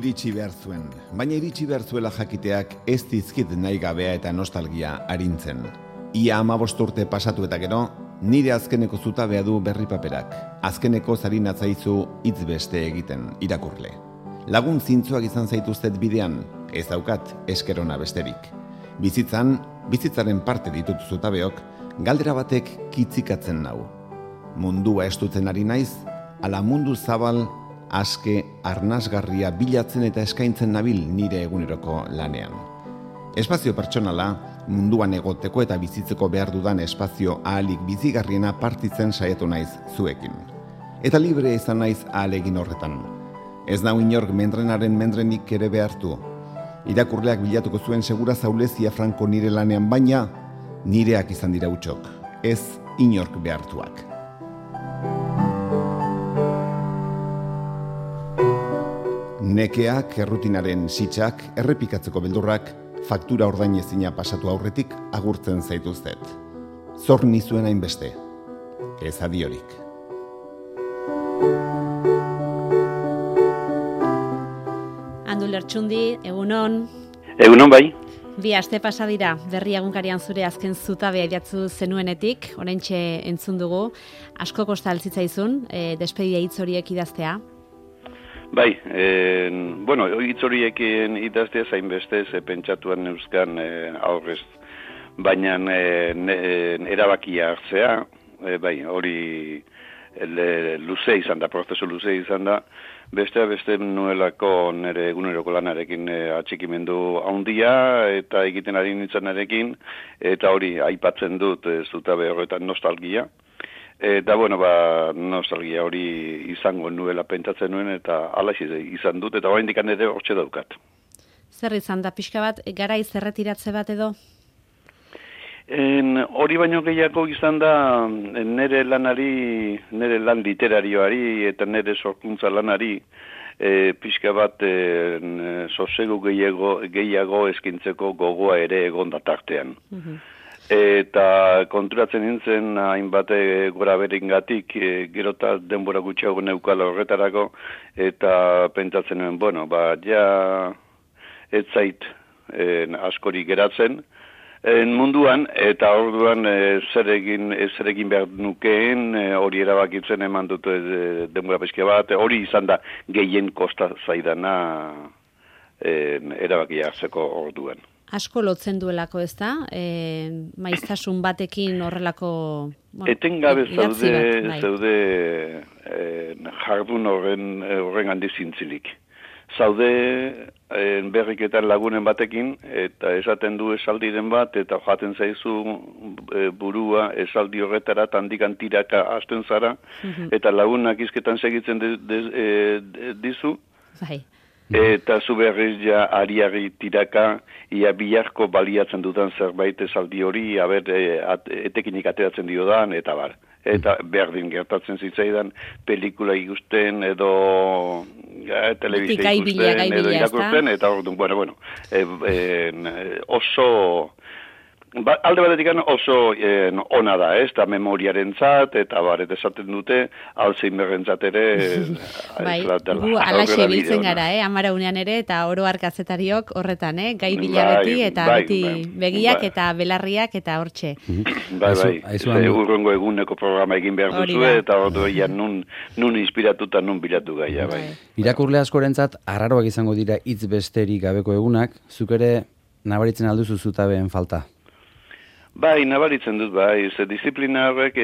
Iritsi behar zuen, baina iritsi behar zuela jakiteak ez dizkit nahi gabea eta nostalgia arintzen. Ia 15 urte pasatu eta gero, nire azkeneko zutabea du berri paperak. Azkeneko zarinatzaizu hitz beste egiten, irakurle. Lagun zintzoak izan zaituztet bidean, ez daukat eskerona besterik. Bizitzaren parte ditut zutabeok, galdera batek kitzikatzen nau. Mundua estutzen ari naiz, ala mundu zabal, aske, arnasgarria bilatzen eta eskaintzen nabil nire eguneroko lanean. Espazio pertsonala, munduan egoteko eta bizitzeko behar dudan espazio ahalik bizigarriena partitzen saiatu naiz zuekin. Eta libre izan naiz ahalegin horretan. Ez nau inork mendrenaren mendrenik ere behartu. Irakurleak bilatuko zuen segura zaulezia franko nire lanean, baina nireak izan dira utxok, ez inork behartuak. Nekeak, errutinaren sitsak, errepikatzeko beldurrak, faktura ordainezina pasatu aurretik agurtzen zaituztet. Zor nizuen hainbeste, ez adiorik. Andu Lertxundi, egunon. Egunon bai. Bi aste pasa dira, Berri egunkarian zure azken zutabea idatzu zenuenetik, oraintxe entzun dugu, asko kosta altzitzaizun, despedida hitz horiek idaztea. Bai, hitz horiek idaztea zainbeste pentsatuan neuzkan aurrez, baina erabakia hartzea, bai, hori luze izan da, prozesu luze izan da, beste nuelako nire eguneroko lanarekin atxikimendu handia eta egiten ari nintzanarekin, eta hori aipatzen dut zutabe horretan nostalgia. Eta, nostalgia hori izango nuela pentsatzen nuen, eta alaxe izan dut, eta oraindik ere hortxe daukat. Zer izan da, pixka bat, garaiz erretiratze bat edo? Hori baino gehiago izan da nire lan literarioari eta nire sorkuntza lanari pixka bat sosegu gehiago eskintzeko gogoa ere egon da tartean. Eta konturatzen nintzen hainbat gora beringatik gerota denbora gutxiago neukala horretarako, eta pentsatzen nuen, ez zait askori geratzen munduan, eta orduan zer egin behar nukeen, hori erabakitzen eman dut denbora pixka bat, hori izan da gehien kosta zaidana erabakia hartzeko orduan. Asko lotzen duelako, ez da? Maiztasun batekin horrelako... Etengabe zaude jardun horren handi zintzilik. Zaude berriketan lagunen batekin, eta esaten du esaldiren bat, eta jaten zaizu burua esaldi horretara, handikan tiraka hasten zara, eta lagunak izketan segitzen dizu. Bai. Eta zu berriz ja ariari tiraka, ia biharko baliatzen dudan zerbait esaldi hori, etekinik ateratzen diodan, eta bar. Eta berdin gertatzen zitzaidan pelikula ikusten, edo telebizia ikusten, edo irakurtzen, eta orduan, oso... alde batetik oso ona da, eta memoriaren zat, eta eta esaten dute, Alzheimerren zat ere... Bai, gu alaxe biltzen gara, amara unean ere, eta oro kazetariok horretan, gai bila beti, eta beti begiak eta belarriak eta hortxe. Bai, urrengo eguneko programa egin behar duzu, eta orduan nun inspiratuta, nun bilatu gaia, bai. Irakurle askorentzat, arraroak izango dira hitz besterik gabeko egunak, zuk ere nabaritzen alduzu zutabeen falta? Bai, nabaritzen dut, bai, disiplina horrek,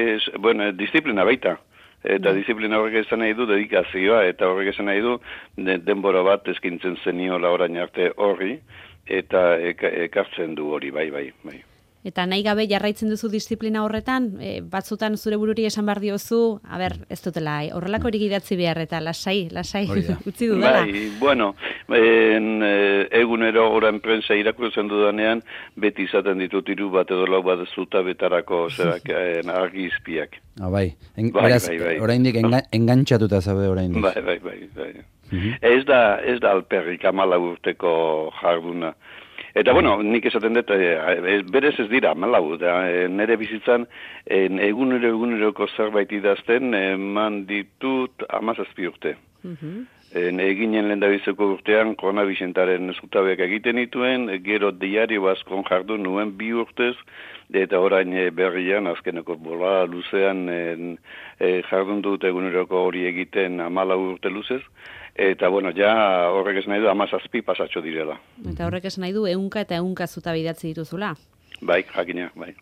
disiplina baita, eta disiplina horrek esan nahi du dedikazioa, eta horrek esan nahi du denbora bat eskintzen zeniola orain arte horri, eta ekartzen du hori, bai. Eta nahi gabe jarraitzen duzu disiplina horretan, batzutan zure bururi esan behar diozu, ez dutela, horrelako hori idatzi behar, eta lasai, utzi dudala. Egunero oran prensa irakurtzen dudanean, beti izaten ditut 3 bat edo 4 bat zutabetarako argizpiak. Bai, oraindik engantxatuta zabe oraindik. Bai. Ez da alperrik 14 urteko jarduna. Eta, nik esaten dut, berez ez dira, nire bizitzan, eguneroko zerbait idazten, eman ditut 17 urte. Eginen lehendabiziko urtean, koronabizentaren zutabeak egiten dituen, gero diario bazkon jardun nuen 2 urtez, eta orain berrian, azkeneko bola luzean jardun dut eguneroko hori egiten 14 urte luzez, eta bueno, ja horrek esan nahi du 17 pasatxo direla. Eta horrek esan nahi du 100 eta 100 zutabe idatzi dituzula. Bai, jakina, bai.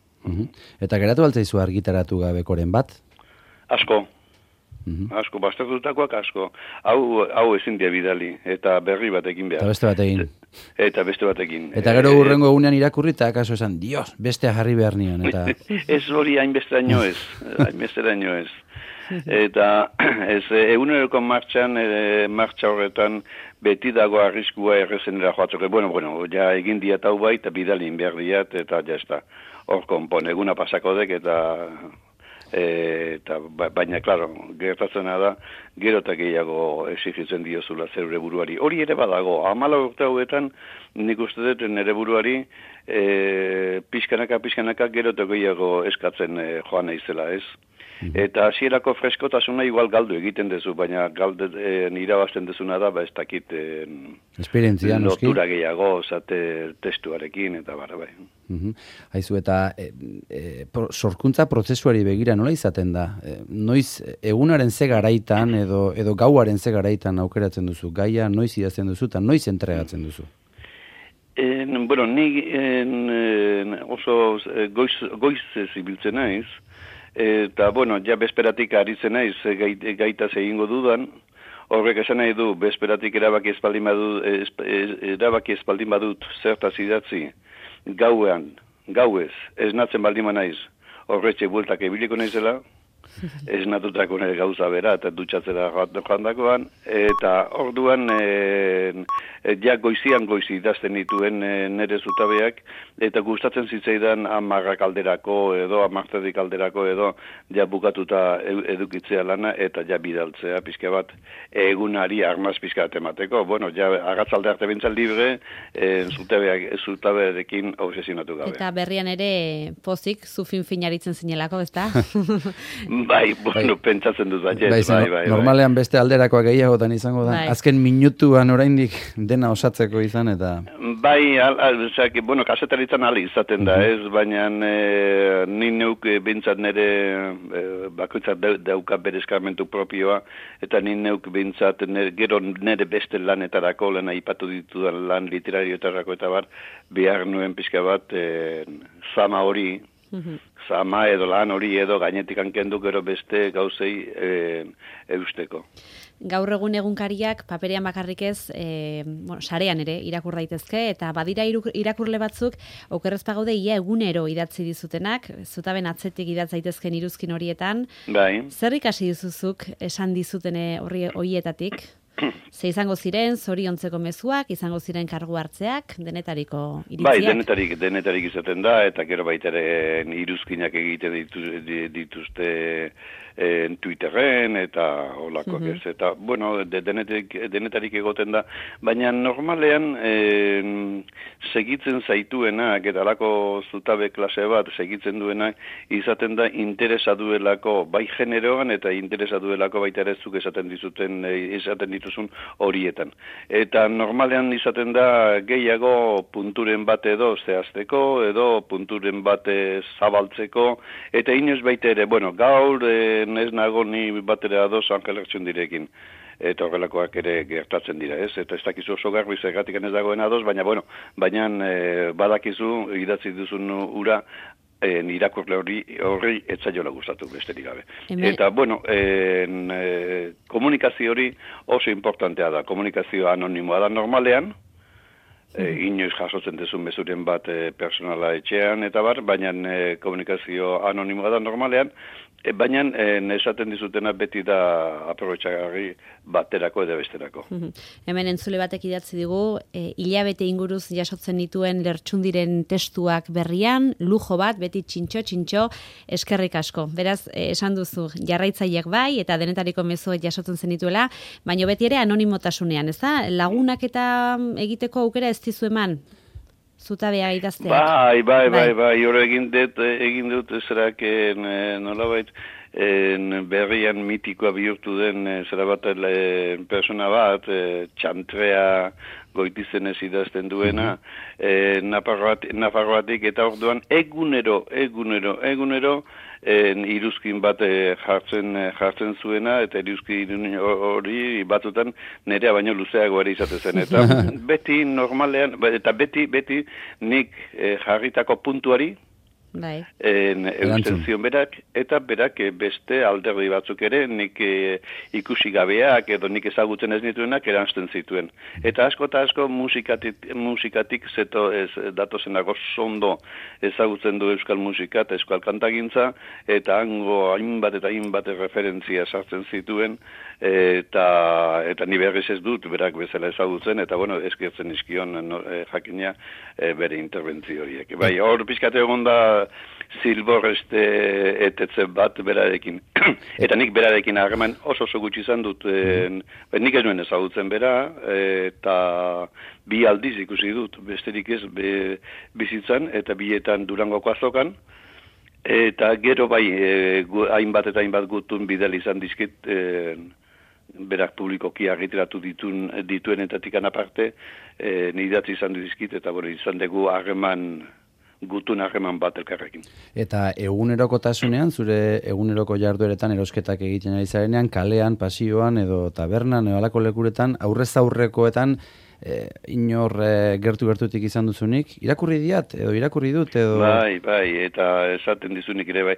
Eta geratu altzaizu argitaratu gabekoren bat? Asko. Asko, bastatutakoak asko. Hau ezin dia bidali, eta berri batekin behar. Eta beste batekin. Eta beste batekin. Eta gero hurrengo egunean irakurri, eta akaso esan, Dios, bestea jarri behar nion. Eta... Ez hori hainbesteraino ez. Eta eguneroko martxa horretan beti dago arriskua errezenera joatzoko. Bueno, ja egin diat hau bai, eta bidalin behar diat, eta jazta. Hor konpon, eguna pasako dek, eta baina, klaro, gertatzen da, gero eta gehiago exigitzen diozula zeure buruari. Hori ere badago, 14 urte hauetan, nik uste dut nire buruari pixkanaka gero eta gehiago eskatzen joan naizela, ez? Eta hasierako freskotasuna igual galdu egiten dezu, baina irabazten dezuna da, ez dakit esperientzia, noski? Lotura gehiago, testuarekin, eta bai. Haizu, eta sorkuntza prozesuari begira nola izaten da? Noiz egunaren ze garaitan edo gauaren ze garaitan aukeratzen duzu? Gaia noiz idazten duzu eta noiz entregatzen duzu? Bueno, ni oso goiz zibiltzen naiz, eta, bueno, ja bezperatik aritzen naiz gaitaz egingo dudan, horrek esan nahi du, bezperatik erabaki espaldin badut zertaz idatzi, gauez, esnatzen baldin naiz, horretxe bueltak ebiliko naizela, esnatutako nire gauza bera, eta dutxatzera joan dagoan, eta orduan, ja goizi idazten dituen nire zutabeak, eta gustatzen zitzaidan 10 alderako edo 10 alderako edo ja bukatuta edukitzea lana, eta ja bidaltzea pixka bat egunari armaz pixka bat emateko. Bueno, ja agatzalde arte bintzal libre, zutabearekin obsesionatu gabe. Eta berrian ere pozik, zu fin-finaritzen zinelako, ezta? Bai, bueno, pentsatzen dut bai. Normalean beste alderakoak gehiagotan izango da. Azken minutuan oraindik dena osatzeko izan eta... Bai, bueno, kasetaritzan ali izaten da, ez? Baina ni neuk bintzat nire bakoitzat dauka bere eskarmentu propioa, eta ni neuk bintzat gero nire beste lanetarako, lehen aipatu ditudan lan literarioetarako eta behar nuen pixka bat zama hori, zama edo lan hori edo gainetik hankendu gero beste gauzei eusteko. Gaur egun egunkariak paperean bakarrik ez, sarean ere irakur daitezke, eta badira irakurle batzuk okerrez pagaude ia egunero idatzi dizutenak, zutaben atzetik idatz daitezken iruzkin horietan. Bai. Zer ikasi dizuzuk esan dizutene horietatik? Ze izango ziren, zoriontzeko mezuak, izango ziren kargu hartzeak, denetariko iritziak? Bai, denetarik izaten da, eta gero baita ere iruzkinak egiten dituzte Twitterren, eta holakoak ez. Eta, bueno, denetarik egoten da, baina normalean segitzen zaituenak, eta alako zutabe klase bat segitzen duenak, izaten da interesa duelako, bai generoan, eta interesa duelako baita ere zuk esaten dituzun horietan. Eta normalean izaten da gehiago punturen bat edo zehazteko, edo punturen bat zabaltzeko, eta inoiz baita ere, bueno, gaur ez nago ni batera ados Angel Ertsundirekin. Eta horrelakoak ere gertatzen dira, ez? Eta ez dakizu oso garbi zergatik ez dagoen ados, baina badakizu idatzi duzun ura irakurle horri etzaiola gustatu besterik gabe. Eta, bueno, komunikazio hori oso importantea da. Komunikazio anonimoa da normalean, inoiz jasotzen dezun mezuren bat personala etxean, eta baina komunikazio anonimoa da normalean, baina esaten dizutena beti da aprobetxagarri baterako edo besterako. Hemen entzule batek idatzi digu, hilabete inguruz jasotzen dituen Lertxundiren testuak berrian, lujo bat, beti txintxo, eskerrik asko. Beraz, esan duzu, jarraitzaileak bai, eta denetariko mezuak jasotzen zen dituela, baina beti ere anonimotasunean, ez da? Lagunak eta egiteko aukera ez dizu eman? Zutabea idazteak. Bai, hori egin dut zerak nolabait berrian mitikoa bihurtu den zera bat persona bat, Txantrea Goitizenez idazten duena, Nafarroatik, eta orduan egunero iruzkin bat jartzen zuena, eta iruzkin hori batzutan nerea baino luzeago ere izate zen. Eta beti normalean, eta beti nik jarritako puntuari, eusten zion berak, eta berak beste alderdi batzuk ere nik ikusi gabeak edo nik ezagutzen ez nituenak eransten zituen. Eta asko musikatik zeto ez datozenako sondo ezagutzen du euskal musika eta euskal kantagintza, eta hango hainbat referentzia sartzen zituen, eta ni berriz ez dut berak bezala ezagutzen, eta bueno, eskertzen izkion jakina bere interbentzio horiek. Bai, hor pizkate egon da Zilbor etetze bat berarekin. Eta nik berarekin harreman oso gutxi izan dut, nik ez nuen ezagutzen bera, eta bi aldiz ikusi dut, besterik ez bizitzan, eta bietan Durangoko azokan, eta gero bai, hainbat gutun bidel izan dizkit, berak publikoki argitaratu dituenetatik aparte, nidatzi izan dizkit, eta izan dugu gutun harreman bat elkarrekin. Eta egunerokotasunean, zure eguneroko jardueretan erosketak egiten ari zarenean, kalean, pasioan edo tabernan edo alako lekuretan, aurrez aurrekoetan inor gertutik izan duzunik, irakurri dut edo... Bai, eta esaten dizunik ere bai.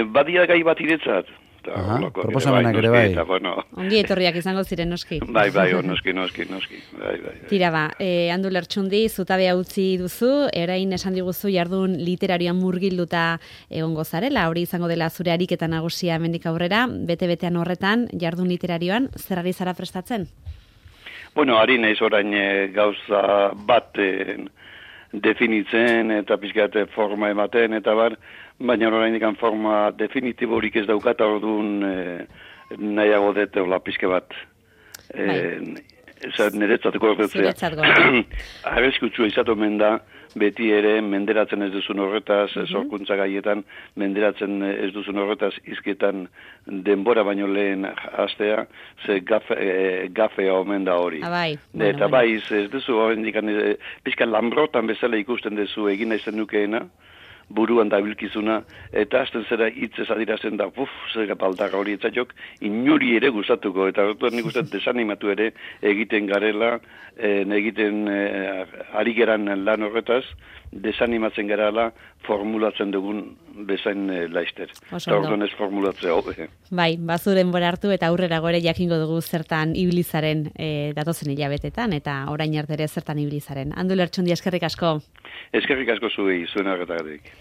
Badia gai bat iretzat. Proposamenak ere bai. Ongi etorriak izango ziren, noski. Bai, noski. Bai. Tira ba, Andu Lertxundi, zutabea utzi duzu, erain esan diguzu jardun literarioan murgilduta egongo zarela, hori izango dela zure ariketa nagusia hemendik aurrera, bete-betean horretan, jardun literarioan, zer ari zara prestatzen? Bueno, ari naiz orain gauza bat definitzen eta pixkat forma ematen eta baina oraindik forma definitiborik ez daukat, orduan nahiago dut hola pixka bat. Niretzat gordetzea. Arriskutsua izatu omen da, beti ere menderatzen ez duzun horretaz, sorkuntza gaietan, menderatzen ez duzun horretaz, izketan denbora baino lehen hastea, ze gafea omen da hori. Eta bai, ez duzu horrendik, pixka lambrotan bezala ikusten duzu egin naizen nukeena, buruan da bilkizuna, eta hasten zera hitzez adirazen da, zera baldarra hori etzaiok, inuri ere gustatuko, eta horretu nik uste desanimatu ere egiten garela, egiten ari geran lan horretaz, desanimatzen garela formulatzen dugun bezain laister. Orduan ez formulatzea hobe. Bai, bazuren bora hartu eta aurrera gore jakingo dugu zertan ibilizaren datozen hilabetetan, eta orain arte ere zertan ibilizaren. Andu Lertxundi, eskerrik asko. Eskerrik asko zuei, zuen arretagatik.